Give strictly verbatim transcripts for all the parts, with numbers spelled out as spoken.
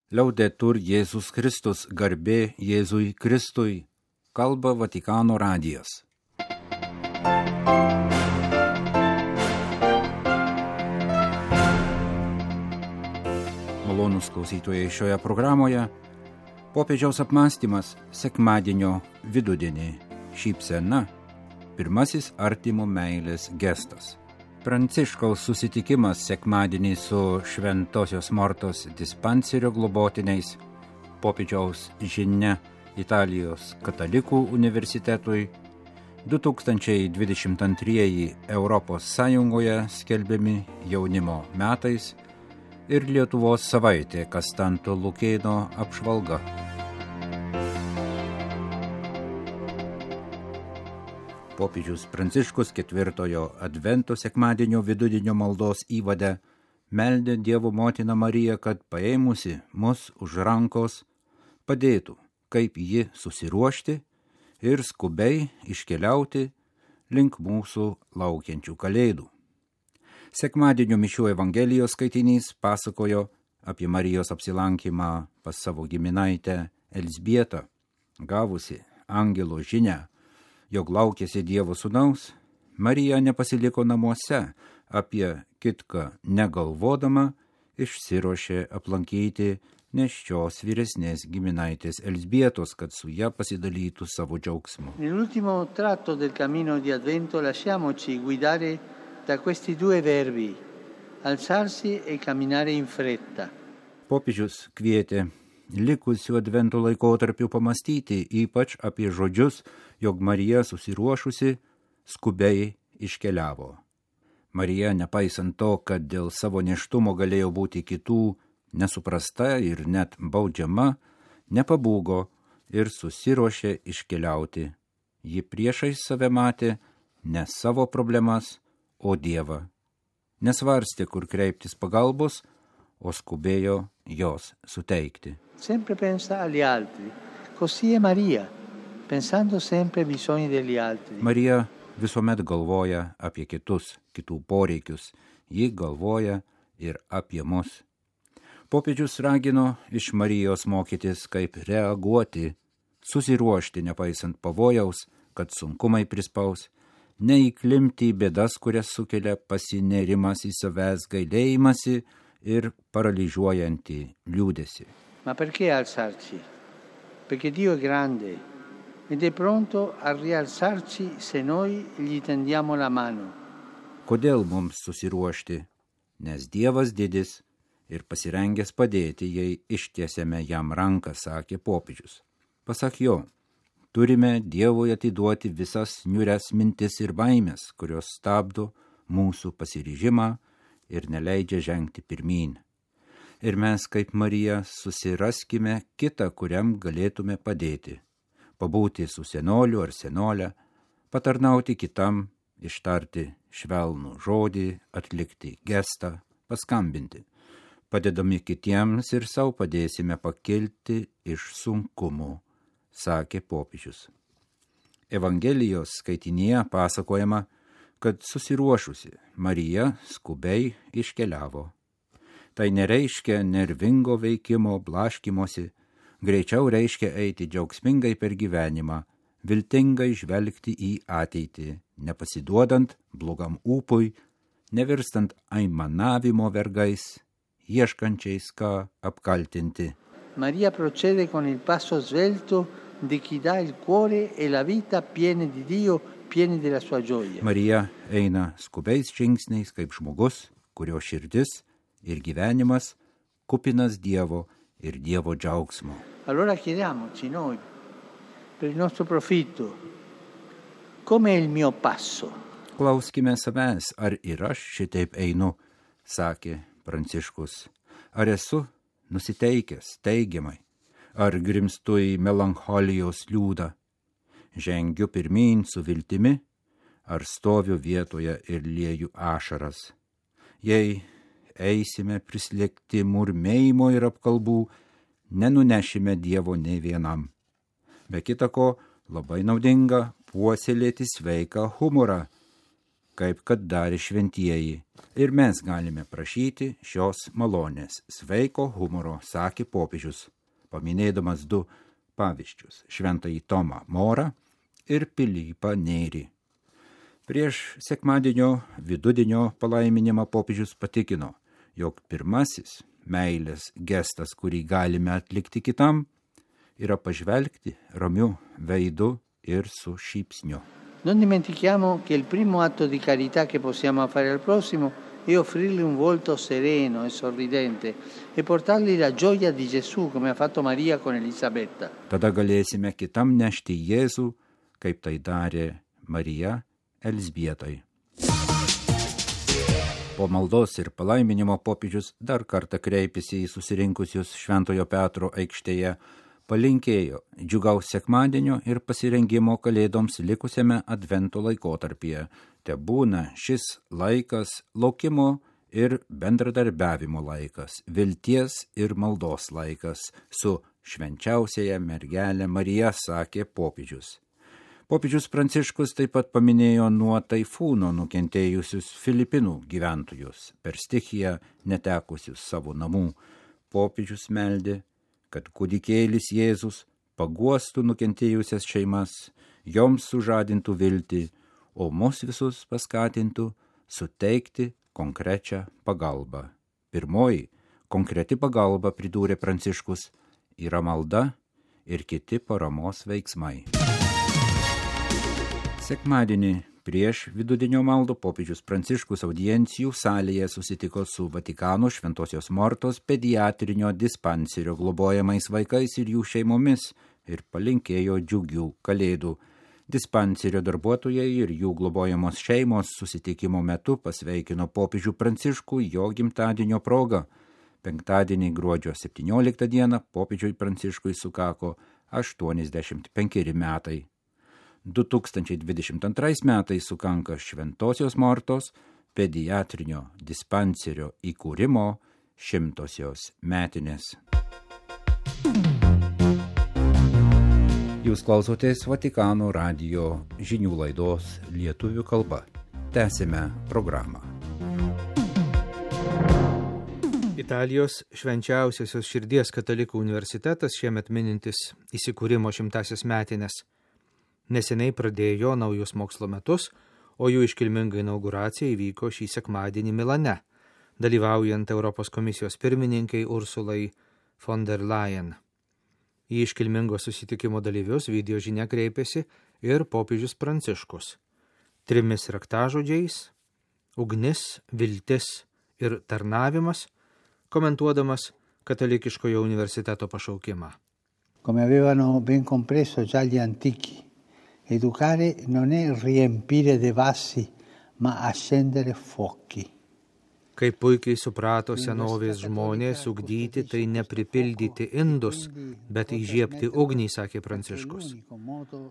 Liaudetur Jėzus Kristus, garbė Jėzui Kristui, kalba Vatikano radijas. Malonūs klausytojai, šioje programoje popiežiaus apmąstymas sekmadienio vidudienį, šypsena, pirmasis artimo meilės gestas. Pranciškaus susitikimas sekmadienį su Šventosios Mortos dispanserio globotiniais, popiežiaus žinia Italijos katalikų universitetui, du tūkstančiai dvidešimt antrieji Europos Sąjungoje skelbiami jaunimo metais ir Lietuvos savaitė Kastanto Lukėno apžvalga. Popiežius Pranciškus ketvirtojo advento sekmadienio vidudienio maldos įvade meldė Dievo motiną Mariją, kad paėmusi mus už rankos padėtų, kaip ji susiruošti ir skubiai iškeliauti link mūsų laukiančių kalėdų. Sekmadienio mišių Evangelijos skaitinys pasakojo apie Marijos apsilankymą pas savo giminaitę Elzbietą, gavusi angelo žinią, jog laukėsi Dievo sūnaus. Marija nepasiliko namuose, apie kitką negalvodama išsiruošė aplankyti nėščios vyresnės giminaitės Elzbietos, kad su ja pasidalytų savo džiaugsmu. Nell'ultimo tratto del cammino di Advento lasciamoci guidare da questi due verbi, alzarsi e camminare in fretta. Popiežius kvietė likusių advento laikotarpių pamastyti ypač apie žodžius, jog Marija susiruošusi skubiai iškeliavo. Marija, nepaisant to, kad dėl savo nėštumo galėjo būti kitų nesuprasta ir net baudžiama, nepabūgo ir susiruošė iškeliauti. Ji priešais save matė ne savo problemas, o Dievą. Nesvarstė, kur kreiptis pagalbos, o skubėjo jos suteikti. Sempre pensa agli altri, così è Maria, pensando sempre ai bisogni degli altri. Marija visuomet galvoja apie kitus, kitų poreikius. Ji galvoja ir apie mus. Popiežius ragino iš Marijos mokytis, kaip reaguoti, susiruošti nepaisant pavojaus, kad sunkumai prispaus, neįklimti į bėdas, kurias sukelia pasinerimas į savęs gailėjimąsi ir paralyžiuojantį liūdesį. Ma perché alzarci? Perché Dio è grande ed è pronto a rialzarci se noi gli tendiamo la mano. Kodėl mums susiruošti? Nes Dievas didis ir pasirengęs padėti, jei ištiesiame jam ranką, sakė popiežius. Pasak jo, turime Dievui atiduoti visas niūrias mintis ir baimės, kurios stabdo mūsų pasiryžimą ir neleidžia žengti pirmyn. Ir mes, kaip Marija, susiraskime kitą, kuriam galėtume padėti. Pabūti su senoliu ar senolė, patarnauti kitam, ištarti švelnų žodį, atlikti gestą, paskambinti. Padedami kitiems ir savo padėsime pakilti iš sunkumų, sakė popiežius. Evangelijos skaitinyje pasakojama, kad susiruošusi Marija skubiai iškeliavo. Tai nereiškia nervingo veikimo, blaškymosi, greičiau reiškia eiti džiaugsmingai per gyvenimą, viltingai žvelgti į ateitį, nepasiduodant blogam ūpui, nevirstant aimanavimo vergais, ieškančiais ką apkaltinti. Maria procede con il passo svelto di chi dà il cuore e la vita piene di Dio, pieni della sua gioia. Marija eina skubiais žingsniais kaip žmogus, kurio širdis ir gyvenimas kupinas Dievo ir Dievo džiaugsmo. Allora chiediamoci noi, per il nostro profitto, come è il mio passo? Klauskime savęs, ar ir aš šitaip einu, sakė Pranciškus. Ar esu nusiteikęs teigiamai, ar grimstu į melancholijos liūdą, žengiu pirmyn su viltimi, ar stoviu vietoje ir lieju ašaras. Jei eisime prislėgti murmėjimo ir apkalbų, nenunešime Dievo nei vienam. Be kita ko, labai naudinga puoselėti sveiką humorą, kaip kad darė šventieji. Ir mes galime prašyti šios malonės. Sveiko humoro, sakė popiežius, paminėdamas du pavyzdžius – šventąjį Tomą Morą ir Pilypą Nėrį. Prieš sekmadienio vidudienio palaiminimą popiežius patikino, jog pirmasis meilės gestas, kurį galime atlikti kitam, yra pažvelgti ramiu veidu ir su šypsniu. Non dimentichiamo che il primo atto di carità che possiamo fare al prossimo è offrirgli un volto sereno e sorridente e portargli la gioia di Gesù, come ha fatto Maria con Elisabetta. Tada galėsime kitam nešti Jėzų, kaip tai darė Marija Elzbietai. Po maldos ir palaiminimo popiežius dar kartą kreipėsi į susirinkusius Šventojo Petro aikštėje, palinkėjo džiugaus sekmadienio ir pasirengimo kalėdoms likusiame advento laikotarpyje. Tebūna šis laikas laukimo ir bendradarbiavimo laikas, vilties ir maldos laikas su švenčiausiaja mergelė Marija, sakė popiežius. Popiežius Pranciškus taip pat paminėjo nuo taifūno nukentėjusius Filipinų gyventojus, per stichiją netekusius savo namų. Popiežius meldė, kad kūdikėlis Jėzus paguostų nukentėjusias šeimas, joms sužadintų viltį, o mus visus paskatintų suteikti konkrečią pagalbą. Pirmoji konkreti pagalba, pridūrė Pranciškus, yra malda ir kiti paramos veiksmai. Sekmadienį prieš vidudienio maldą popiežius Pranciškus audiencijų salėje susitiko su Vatikano Šventosios Mortos pediatrinio dispanserio globojamais vaikais ir jų šeimomis ir palinkėjo džiugių kalėdų. Dispanserio darbuotojai ir jų globojamos šeimos susitikimo metu pasveikino popiežių Pranciškų jo gimtadienio proga. Penktadienį gruodžio septynioliktą dieną popiežiui Pranciškui sukako aštuoniasdešimt penkeri metai. du tūkstančiai dvidešimt antrais metais sukanka Šventosios Mortos pediatrinio dispanserio įkūrimo šimtosios metinės. Jūs klausotės Vatikano radijo žinių laidos lietuvių kalba. Tęsime programą. Italijos švenčiausiosios širdies katalikų universitetas šiemet minintis įsikūrimo šimtasias metinės. Neseniai pradėjo naujus mokslo metus, o jų iškilminga inauguracija įvyko šį sekmadienį Milane, dalyvaujant Europos komisijos pirmininkai Ursulai von der Leyen. Į iškilmingo susitikimo dalyvius video žinia kreipėsi ir popiežius Pranciškus. Trimis raktažodžiais – ugnis, viltis ir tarnavimas, komentuodamas katalikiškojo universiteto pašaukimą. Come avevano ben compreso già gli antichi, educare non è riempire dei vassi, ma accendere fuochi. Kaip puikiai suprato senovės žmonės, ugdyti tai nepripildyti indus, bet įžiebti ugnį, sakė Pranciškus.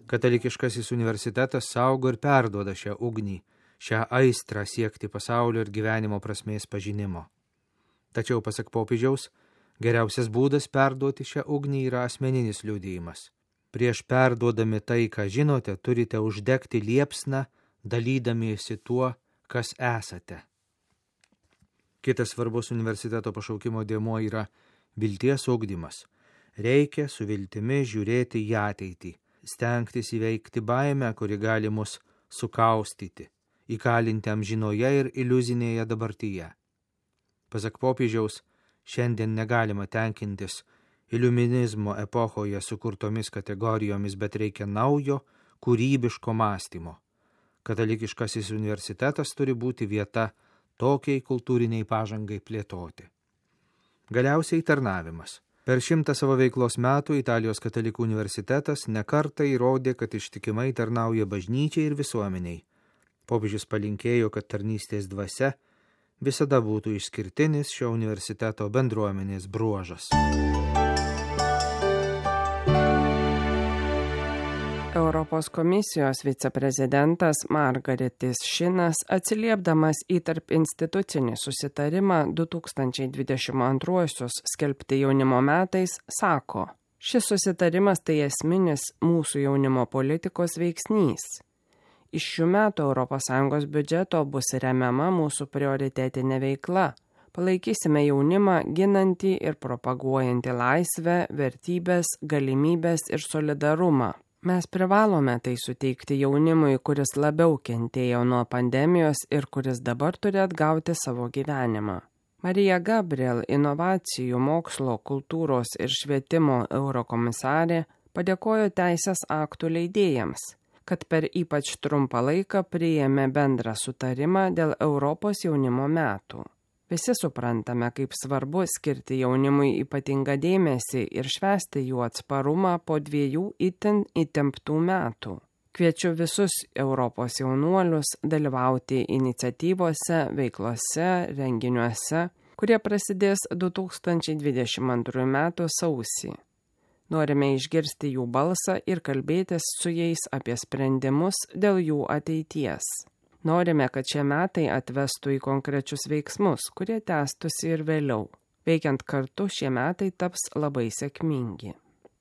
Katalikiškasis universitetas saugo ir perduoda šią ugnį, šią aistrą siekti pasaulio ir gyvenimo prasmės pažinimo. Tačiau, pasak popiežiaus, geriausias būdas perduoti šią ugnį yra asmeninis liudijimas. Prieš perduodami tai, ką žinote, turite uždegti liepsną, dalydamiesi tuo, kas esate. Kitas svarbus universiteto pašaukimo dėmuo yra vilties ugdymas. Reikia su viltimi žiūrėti į ateitį, stengtis įveikti baimę, kuri gali mus sukaustyti, įkalinti amžinoje ir iliuzinėje dabartyje. Pasak popiežiaus, šiandien negalima tenkintis iliuminizmo epochoje sukurtomis kategorijomis, bet reikia naujo, kūrybiško mąstymo. Katalikiškasis universitetas turi būti vieta tokiai kultūriniai pažangai plėtoti. Galiausiai tarnavimas. Per šimtą savo veiklos metų Italijos katalikų universitetas nekartą įrodė, kad ištikimai tarnauja bažnyčiai ir visuomeniai. Popiežius palinkėjo, kad tarnystės dvasia visada būtų išskirtinis šio universiteto bendruomenės bruožas. Europos komisijos viceprezidentas Margaretis Šinas, atsiliepdamas į tarp institucinį susitarimą du tūkstančiai dvidešimt antruosius skelbti jaunimo metais, sako, šis susitarimas tai esminis mūsų jaunimo politikos veiksnys. Iš šių metų Europos Sąjungos biudžeto bus remiama mūsų prioritetinė veikla. Palaikysime jaunimą, ginantį ir propaguojantį laisvę, vertybės, galimybės ir solidarumą. Mes privalome tai suteikti jaunimui, kuris labiau kentėjo nuo pandemijos ir kuris dabar turi atgauti savo gyvenimą. Marija Gabriel, inovacijų, mokslo, kultūros ir švietimo eurokomisarė, padėkojo teisės aktų leidėjams, kad per ypač trumpą laiką priėmė bendrą sutarimą dėl Europos jaunimo metų. Visi suprantame, kaip svarbu skirti jaunimui ypatingą dėmesį ir švęsti jų atsparumą po dviejų itin įtemptų metų. Kviečiu visus Europos jaunuolius dalyvauti iniciatyvose, veiklose, renginiuose, kurie prasidės du tūkstančiai dvidešimt antrųjų metų sausį. Norime išgirsti jų balsą ir kalbėtis su jais apie sprendimus dėl jų ateities. Norime, kad šie metai atvestų į konkrečius veiksmus, kurie tęstųsi ir vėliau. Veikiant kartu, šie metai taps labai sėkmingi.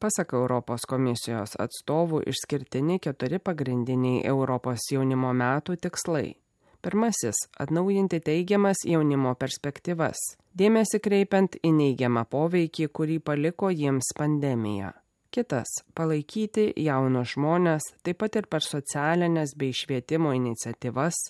Pasak Europos komisijos atstovų išskirtini keturi pagrindiniai Europos jaunimo metų tikslai. Pirmasis – atnaujinti teigiamas jaunimo perspektyvas, dėmesį kreipiant į neigiamą poveikį, kurį paliko jiems pandemija. Kitas – palaikyti jaunus žmones, taip pat ir per socialinės bei švietimo iniciatyvas,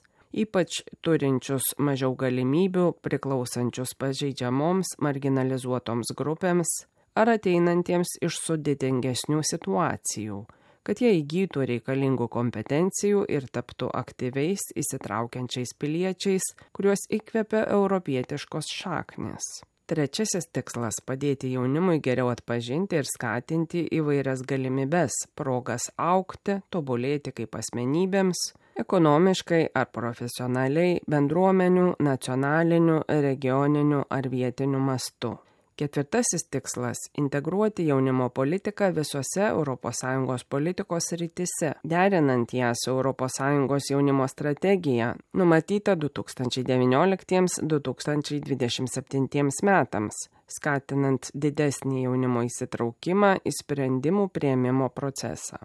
ypač turinčius mažiau galimybių, priklausančius pažeidžiamoms, marginalizuotoms grupėms ar ateinantiems iš sudėtingesnių situacijų, kad jie įgytų reikalingų kompetencijų ir taptų aktyviais, įsitraukiančiais piliečiais, kuriuos įkvepia europietiškos šaknys. Trečiasis tikslas – padėti jaunimui geriau atpažinti ir skatinti įvairias galimybes, progas augti, tobulėti kaip asmenybėms, ekonomiškai ar profesionaliai, bendruomenių, nacionalinių, regioninių ar vietinių mastų. Ketvirtasis tikslas – integruoti jaunimo politiką visose Europos Sąjungos politikos srityse, derinant ją su Europos Sąjungos jaunimo strategija, numatyta du tūkstančiai devynioliktiems - du tūkstančiai dvidešimt septintiems metams, skatinant didesnį jaunimo įsitraukimą į sprendimų priėmimo procesą.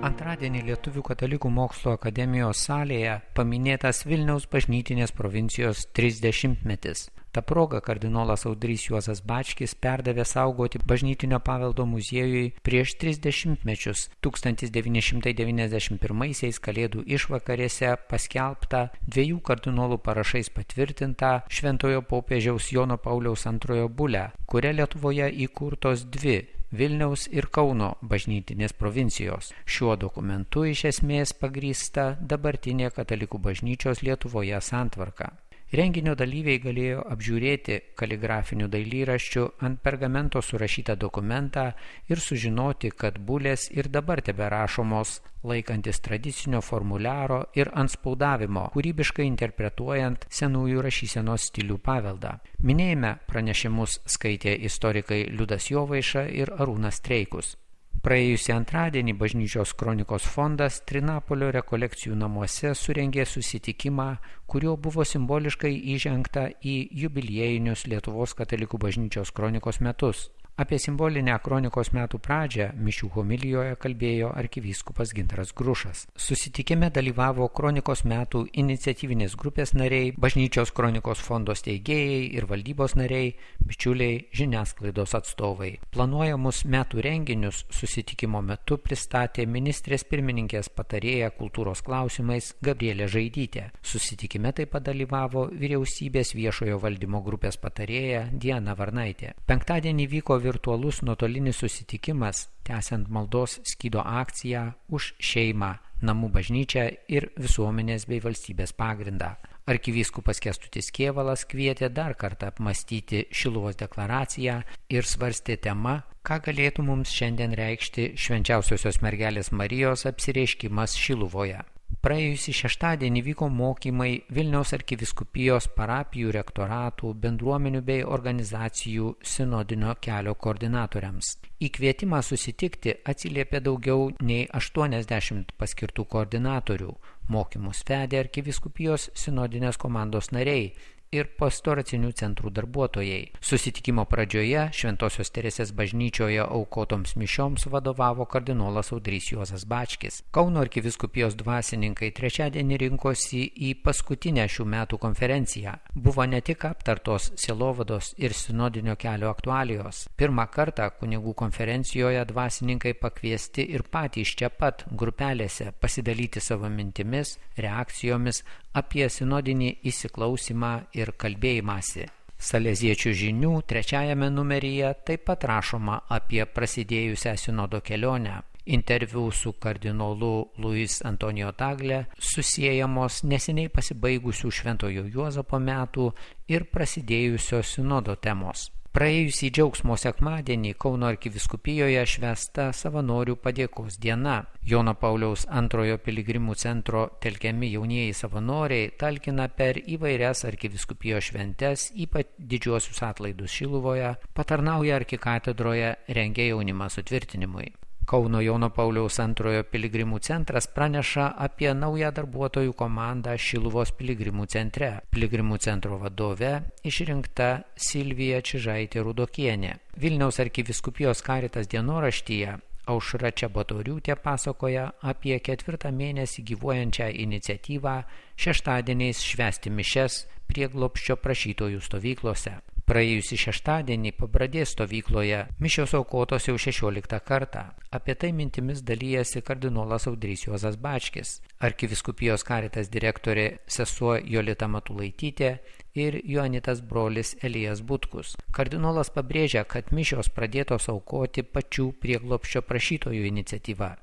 Antradienį Lietuvių katalikų mokslo akademijos salėje paminėtas Vilniaus bažnytinės provincijos trisdešimtmetis. Ta proga kardinolas Audrys Juozas Bačkis perdavė saugoti bažnytinio paveldo muziejui prieš tris dešimtmečius tūkstantis devyni šimtai devyniasdešimt pirmaisiais Kalėdų išvakarėse paskelbtą dviejų kardinolų parašais patvirtintą Šventojo popiežiaus Jono Pauliaus antrojo bulę, kuria Lietuvoje įkurtos dvi Vilniaus ir Kauno bažnytinės provincijos. Šiuo dokumentu iš esmės pagrįsta dabartinė katalikų bažnyčios Lietuvoje santvarka. Renginio dalyviai galėjo apžiūrėti kaligrafinių dailyraščių ant pergamento surašytą dokumentą ir sužinoti, kad bulės ir dabar teberašomos laikantis tradicinio formuliaro ir antspaudavimo, kūrybiškai interpretuojant senųjų rašysenos stilių paveldą. Minėjime pranešimus skaitė istorikai Liudas Jovaiša ir Arūnas Streikus. Praėjusį antradienį Bažnyčios kronikos fondas Trinapolio rekolekcijų namuose surengė susitikimą, kuriuo buvo simboliškai įžengta į jubiliejinius Lietuvos katalikų bažnyčios kronikos metus. Apie simbolinę kronikos metų pradžią mišių homilijoje kalbėjo arkivyskupas Gintaras Grušas. Susitikime dalyvavo kronikos metų iniciatyvinės grupės nariai, Bažnyčios kronikos fondo steigėjai ir valdybos nariai, bičiuliai, žiniasklaidos atstovai. Planuojamus metų renginius susitikimo metu pristatė ministrės pirmininkės patarėja kultūros klausimais Gabrielė Žaidytė. Susitikime taip pat dalyvavo vyriausybės viešojo valdymo grupės patarėja Diana Varnaitė. Penktadienį vyko virtualus nuotolinis susitikimas, tęsiant maldos skydo akciją už šeimą, namų bažnyčią ir visuomenės bei valstybės pagrindą. Arkivyskupas Kęstutis Kėvalas kvietė dar kartą apmąstyti Šiluvos deklaraciją ir svarstė temą, ką galėtų mums šiandien reikšti Švenčiausiosios mergelės Marijos apsireiškimas Šiluvoje. Praėjusį šeštadienį vyko mokymai Vilniaus arkivyskupijos parapijų rektoratų, bendruomenių bei organizacijų sinodinio kelio koordinatoriams. Į kvietimą susitikti atsiliepė daugiau nei aštuoniasdešimt paskirtų koordinatorių. Mokymus vedė arkivyskupijos sinodinės komandos nariai ir pastoracinių centrų darbuotojai. Susitikimo pradžioje Šventosios Teresės bažnyčioje aukotoms mišioms vadovavo kardinolas Audrys Juozas Bačkis. Kauno arkivyskupijos dvasininkai trečiadienį rinkosi į paskutinę šių metų konferenciją. Buvo ne tik aptartos sielovados ir sinodinio kelio aktualijos. Pirmą kartą kunigų konferencijoje dvasininkai pakviesti ir patys čia pat grupelėse pasidalyti savo mintimis, reakcijomis apie sinodinį įsiklausimą ir kalbėjimąsi. Saleziečių žinių trečiajame numeryje taip pat rašoma apie prasidėjusią sinodo kelionę. Interviu su kardinolu Luis Antonijo Tagle susiejamos neseniai pasibaigusių Šventojo Juozapo metų ir prasidėjusio sinodo temos. Praėjusį džiaugsmo sekmadienį Kauno arkivyskupijos švęsta savanorių padėkos diena. Jono Pauliaus antrojo piligrimų centro telkiami jaunieji savanoriai talkina per įvairias arkivyskupijos šventes, ypač didžiuosius atlaidus Šiluvoje, patarnauja arkikatedroje, rengia jaunimą sutvirtinimui. Kauno Jono Pauliaus antrojo piligrimų centras praneša apie naują darbuotojų komandą Šiluvos piligrimų centre. Piligrimų centro vadove išrinkta Silvija Čižaitė Rudokienė. Vilniaus arkivyskupijos Caritas dienoraštyje Aušra Čebatoriūtė pasakoja apie ketvirtą mėnesį gyvuojančią iniciatyvą šeštadieniais švęsti mišias prieglobsčio prašytojų stovyklose. Praėjusį šeštadienį Pabradės stovykloje mišios aukotos jau šešioliktą kartą. Apie tai mintimis dalyjasi kardinolas Audrys Juozas Bačkis, arkivyskupijos Caritas direktorė sesuo Jolita Matulaitytė ir Joanitas brolis Elijas Butkus. Kardinolas pabrėžia, kad mišios pradėtos aukoti pačių prieglobsčio prašytojų iniciatyva.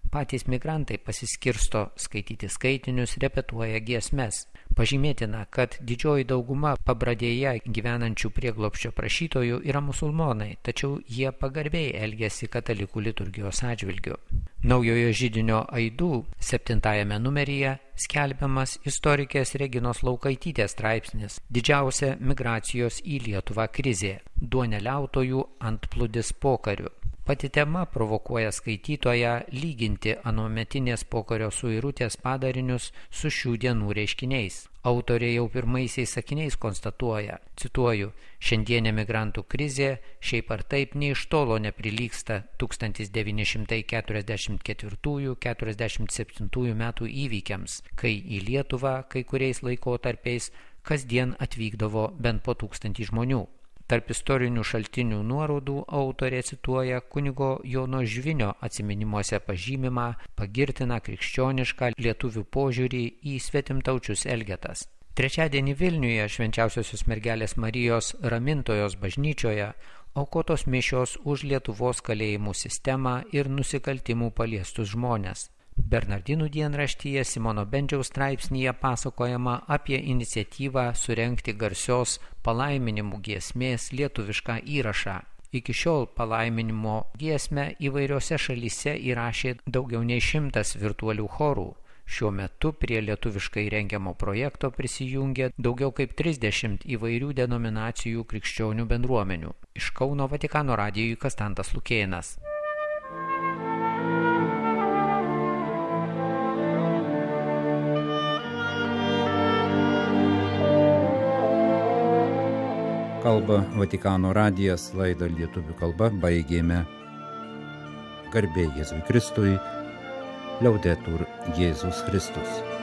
Patys migrantai pasiskirsto skaityti skaitinius, repetuoja giesmes. Pažymėtina, kad didžioji dauguma Pabradėje gyvenančių prieglobsčio prašytojų yra musulmonai, tačiau jie pagarbiai elgiasi katalikų liturgijos atžvilgiu. Naujojo židinio aidų septintajame numeryje skelbiamas istorikės Reginos Laukaitytės straipsnis "Didžiausia migracijos į Lietuvą krizė – duoneliautojų antplūdis pokariu". Pati tema provokuoja skaitytoją lyginti anuometinės pokario suirutės padarinius su šių dienų reiškiniais. Autorė jau pirmaisiais sakiniais konstatuoja, cituoju, šiandienė migrantų krizė šiaip ar taip nei iš tolo neprilygsta tūkstantis devyni šimtai keturiasdešimt ketvirtųjų - keturiasdešimt septintųjų metų įvykiams, kai į Lietuvą kai kuriais laikotarpiais kasdien atvykdavo bent po tūkstantį žmonių. Tarp istorinių šaltinių nuorodų autorė cituoja kunigo Jono Žvinio atsiminimuose pažymimą pagirtiną krikščionišką lietuvių požiūrį į svetimtaučius elgetas. Trečiadienį Vilniuje Švenčiausiosios mergelės Marijos Ramintojos bažnyčioje aukotos mišios už Lietuvos kalėjimų sistemą ir nusikaltimų paliestus žmones. Bernardinų dienraštyje Simono Bendžiaus straipsnyje pasakojama apie iniciatyvą surengti garsios palaiminimų giesmės lietuvišką įrašą. Iki šiol palaiminimo giesmę įvairiose šalyse įrašė daugiau nei šimtas virtualių chorų. Šiuo metu prie lietuviškai rengiamo projekto prisijungė daugiau kaip trisdešimt įvairių denominacijų krikščionių bendruomenių. Iš Kauno Vatikano radijui Kastantas Lukėnas. Kalba Vatikano radijas, laidą lietuvių kalba baigėme. Garbė Jėzui Kristui, Liaudetur Jėzus Kristus.